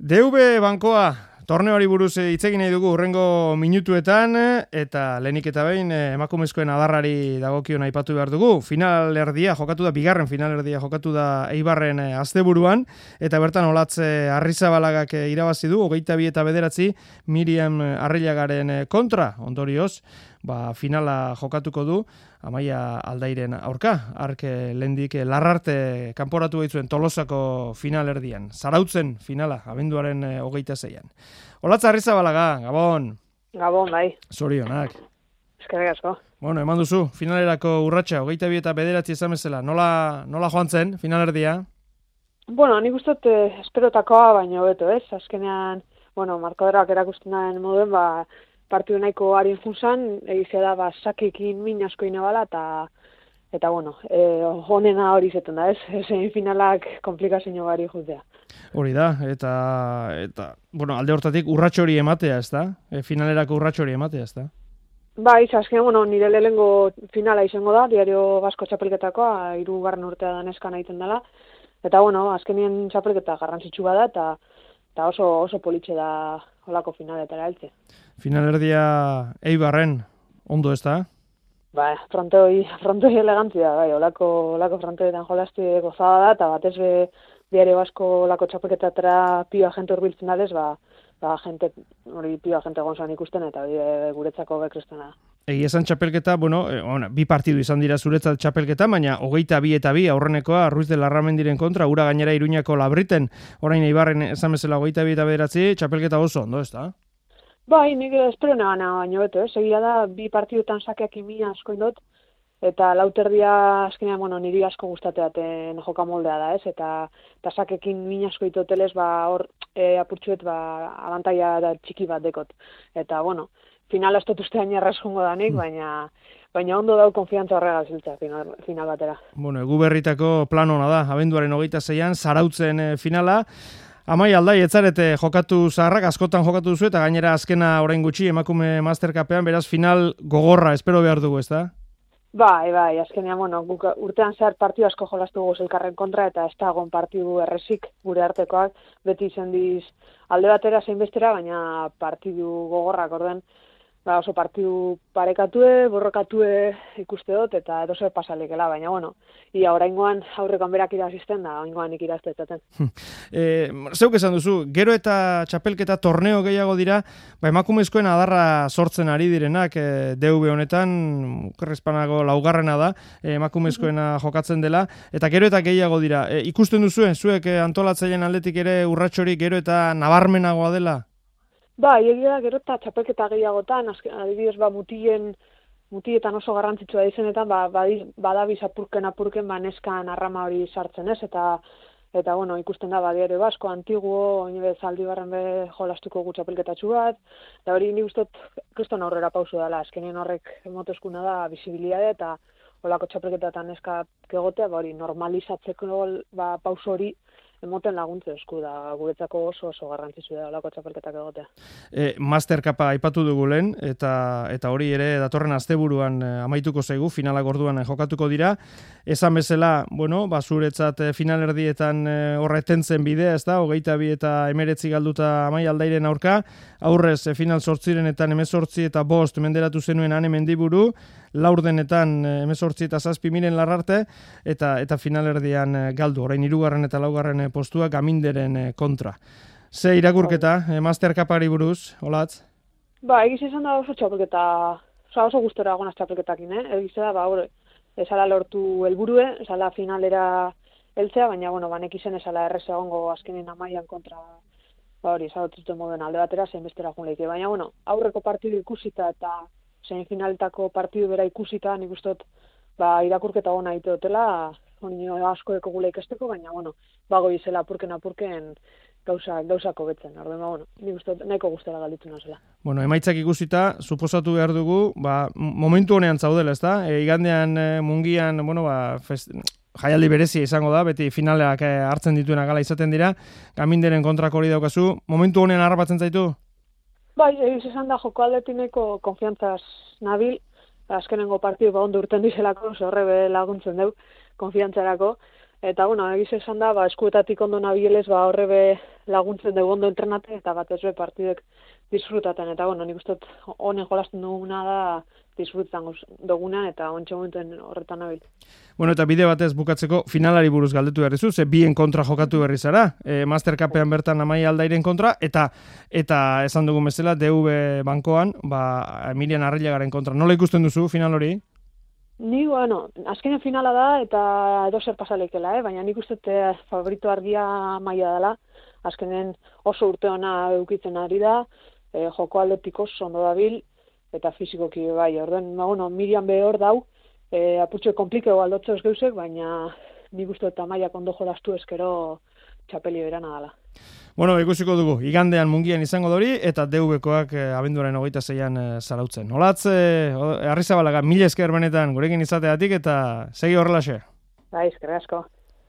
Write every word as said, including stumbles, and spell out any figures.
D V bankoa, torneoari buruz hitz egin nahi dugu hurrengo minutuetan, eta lehenik eta behin emakumezkoen adarrari dagokion aipatu behar dugu. Finalerdia jokatu da, bigarren finalerdia jokatu da Eibarren asteburuan, eta bertan Olatze Arrizabalagak irabazi du, hogeita bi eta bederatzi Miriam Arrilagaren kontra, ondorioz, ba, finala jokatuko du, Amaia Aldairen aurka, ark lehendik Larrarte kanporatu baitzuen Tolosako finalerdian. Zarautzen finala, abenduaren hogeita zeian. Olatze Arrizabalaga, Gabon. Gabon, bai. Zorionak. Eskerrik asko. Bueno, eman duzu, finalerako urratsa, hogeita bi eta bederatzi esan bezala. Nola, nola joan zen, finalerdia? Bueno, nik uste dut esperotakoa, baina hobeto, ez? Azkenean, bueno, markadorak erakusten den moduen, ba, partidu nahiko harin funzan, egizia da, ba, sakekin min asko inabala, eta, eta bueno, e, honena hori zetan da, ez? Semifinalak komplikazio gari jutea. Hori da, eta, eta, bueno, alde hortatik urratxo hori ematea, ez da? E, finalerako urratxo hori ematea, ez da? Ba, iz, azkenean, bueno, nire lehengo finala izango da, Diario Basko txapelketakoa, hirugarren urtea da neskan egiten dela, eta, bueno, azkenien txapelketa garrantzitsu bada, eta, eta oso, oso politxe da holako finaletara heltze. Finalerdia Eibarren, ondo ez da? Ba, frontoi, frontoi elegantzia, bai, olako, olako frontoietan jolazti gozada da, eta batez be, Diario Basko olako txapelketatara pioa jente urbiltzen adez, ba, ba, jente, hori pioa jente gonzan ikusten, eta hori guretzako bekristena. Egia esan txapelketa, bueno, eh, ona, bi partidu izan dira zuretzat txapelketa, baina hogeita bi eta bi aurrenekoa Ruiz de Larramendiren kontra, ura gainera Iruñako Labriten, orain Eibarren esan bezala hogeita bi eta bederatzi, txapelketa oso ondo, ez da? Bai, nik espero negana baino beto, ez? Egia da, bi partidutan sakeak imia asko indot, eta lauterdia azkenean, bueno, niri asko gustateaten joka moldea da, ez? Eta, eta sakekin min asko itotelez, ba, hor e, apurtxuet, ba, abantaia da txiki bat dekot. Eta, bueno, finala ez dut ustean jarraz jongo danik, baina, baina ondo dau konfiantza horrega ziltza final, final batera. Bueno, egu berritako plan hona da, abenduaren hogeita zeian, Zarautzen eh, finala. Amaia Aldai, etzarete jokatu zaharrak, askotan jokatu duzu, eta gainera azkena orain gutxi emakume masterkapean, beraz final gogorra, espero behar dugu, ez da? Bai, bai, azkenean, bueno, guk urtean zehar partidu asko jolastu guz elkarren kontra, eta ez da egon partidu errezik gure artekoak, beti izan diz alde batera zein bestera, baina partidu gogorrak orden, ba, oso partidu parekatue, borrokatue ikuste dut, eta edo zer pasalikela, baina, bueno, ia oraingoan aurrekoan berak irazisten da, oraingoan nik irazteetaten. e, zeuk esan duzu, gero eta txapelketa torneo gehiago dira, ba, emakumezkoen adarra sortzen ari direnak, e, D V honetan, Kerrespanago laugarrena da, e, emakumezkoena jokatzen dela, eta gero eta gehiago dira. E, ikusten duzuen, zuek e, antolatzaileen aldetik ere urratxorik gero eta nabarmenagoa dela? Ba, egia gero eta txapelketa gehiagotan, adibidez, ba, mutien, mutietan oso garrantzitsua izenetan, ba, badabiz apurken apurken, ba, neskan arrama hori sartzen ez, eta, eta bueno, ikusten da, ba, Diario Basko, Antiguo, oinebe Zaldibarren be jolastuko gu txapelketatxu bat, eta hori ni gustot, kriston aurrera pausu dela, azkenien horrek motozkuna da, bisibilitate eta holako txapelketatan neska egotea, ba, hori normalizatzeko ba, pausu hori, emoten laguntze esku da, guretzako oso oso garrantzitsu da olako txapelketak egotea. E, Masterkapa aipatu dugu lehen, eta, eta hori ere datorren asteburuan e, amaituko zaigu, finalak orduan e, jokatuko dira. Esan bezala, bueno, basuretzat e, finalerdietan e, horretentzen bidea, ez da, hogeita bi eta emeretzi galduta Amaia Aldairen aurka, aurrez e, final sortzirenetan emezortzi eta bost menderatu zenuen Ane Mendiburu, laurdenetan emezortzi eta zazpi Miren Larrarte, eta, eta finalerdian e, galdu, orain hirugarren eta laugarren postua Gaminderen kontra. Ze irakurketa, e, Masterkapari buruz, Olatz? Ba, egiz izan da oso txapelketa, oso, oso gustora agonaz txapelketakin, eh? Egiz da, ba, hori, esala lortu helburue, esala finalera heltzea, baina, bueno, banek izen esala errez egongo azkenin Amaian kontra, ba, hori, esalotzuten moduen alde batera, zein bestera jun leike. Baina, bueno, aurreko partidu ikusita eta semifinalitako partidu bera ikusita, nik ustot, ba, irakurketa gona ite dutela, hori asko eko gula ikasteko, baina, bueno, bago izela apurken apurken gauza, gauzako betzen. Arden, ba, bueno, nik uste, nahiko guztela galditu nazela. Bueno, emaitzak ikusita, suposatu behar dugu, ba, momentu honean zaudela, ez da? E, igandean, e, mungian, bueno, ba, fest, jaialdi berezia izango da, beti finaleak e, hartzen dituena gala izaten dira, Gaminderen kontrako hori daukazu, momentu honean harrapatzen zaitu? Bai, egiz esan da joko aldetineko konfiantzaz nabil, azkenengo partidu ba ondo urten dizelako, horre be laguntzen deu, konfiantzarako, Eta, bueno, egiz esan da, ba, eskuetatik ondo nabielez, ba, horre be laguntzen dugu ondo entrenaten, eta bat ez be partidek disfrutaten. Eta, bueno, nik uste honen jolasten duguna da disfrutan dugunean, eta ontsa momentuen horretan nabil. Bueno, eta bide batez bukatzeko finalari buruz galdetu behar izu, ze bien kontra jokatu berri zara, e, Master Cupean bertan Amaia Aldairen kontra, eta eta esan dugun bezala, D V bankoan, ba, Emilian Arrilagaren kontra. Nola ikusten duzu final hori? Ni, bueno, azkenen finala da, eta edo zer pasalekela, eh? Baina nik uste eh, favorito argia Maia dela, azkenen oso urte ona eukitzen ari da, eh, joko aldetik oso ondo dabil, eta fizikoki bai, orden, ba, bueno, Miriam behor dau, eh, aputxo komplikeo aldotzo ez geusek, baina nik uste eta Maiak ondo jolastu eskero txapeli berana dela. Bueno, ikusiko dugu, igandean mungian izango dori, eta D V-koak eh, abenduaren hogeita zeian eh, zarautzen. Olatz, eh, Arrizabalaga, mila esker benetan gurekin izateatik, eta segi horrelaxe. Bai, eskerrik asko.